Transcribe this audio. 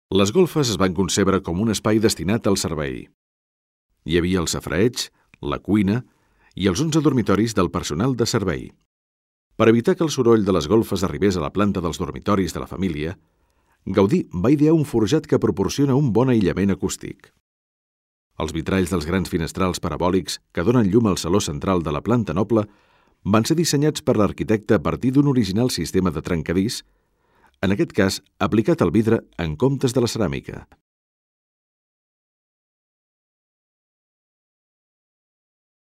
Les golfes es van concebre com un espai destinat al servei. Hi havia el safareig, la cuina i els 11 dormitoris del personal de servei. Per evitar que el soroll de les golfes arribés a la planta dels dormitoris de la família, Gaudí va idear un forjat que proporciona un bon aïllament acústic. Els vitralls dels grans finestrals parabòlics que donen llum al saló central de la planta noble van ser dissenyats per l'arquitecte a partir d'un original sistema de trencadís, en aquest cas aplicat al vidre en comptes de la ceràmica.